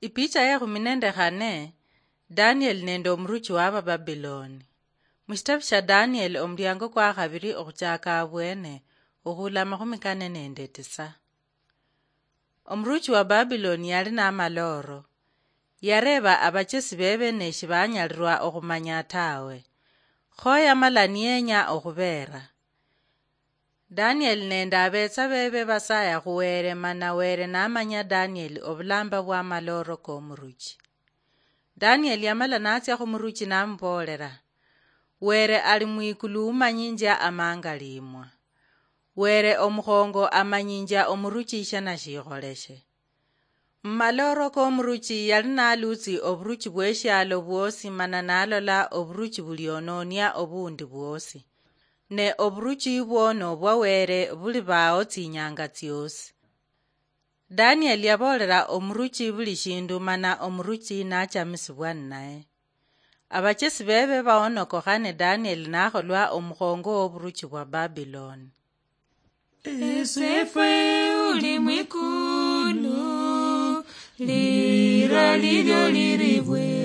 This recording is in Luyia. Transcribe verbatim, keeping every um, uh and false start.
Ipicha ya ekhumi nende khane. Danieli nende omuruchi wa Abababiloni. Mushitabu sha Danieli, omuliango kwa khabiri okhuchaka abwene, okhula amakhumi kane nende tisa. Omuruchi wa Babiloni yali namalooro. Yareeba abachesi bebe ne shibanyalirwa okhumanya tawe. Kho yamala niyenya okhubeera. Danieli nende abetsa bebe basaya khu Wele, mana Wele namanya Danieli obulamba bwa amalooro komuruchi. Danieli yamala natsia khumuruchi namuboolela, "Wele ali mwikulu umanyinjia amangaliimwa. Wele omukhongo amanyinjia omuruchi shana shikholeshe." Mumalooro komuruchi yali nalutsi oburuchi bweshialo bwosi, mana nalola oburuchi buliononia obundi bwosi. Ne oburuchi bwo nobwa Wele buli bao tsinyanga tsiosi. Danieli yaboolela omuruchi buli shindu, mana omuruchi nachamisibwa ninaye. Abachesi bebe baonokokha ne Danieli nakholwa omukhongo woburuchi bwa Babiloni. Esefwe uli mwikulu, lira lilyo liribwe.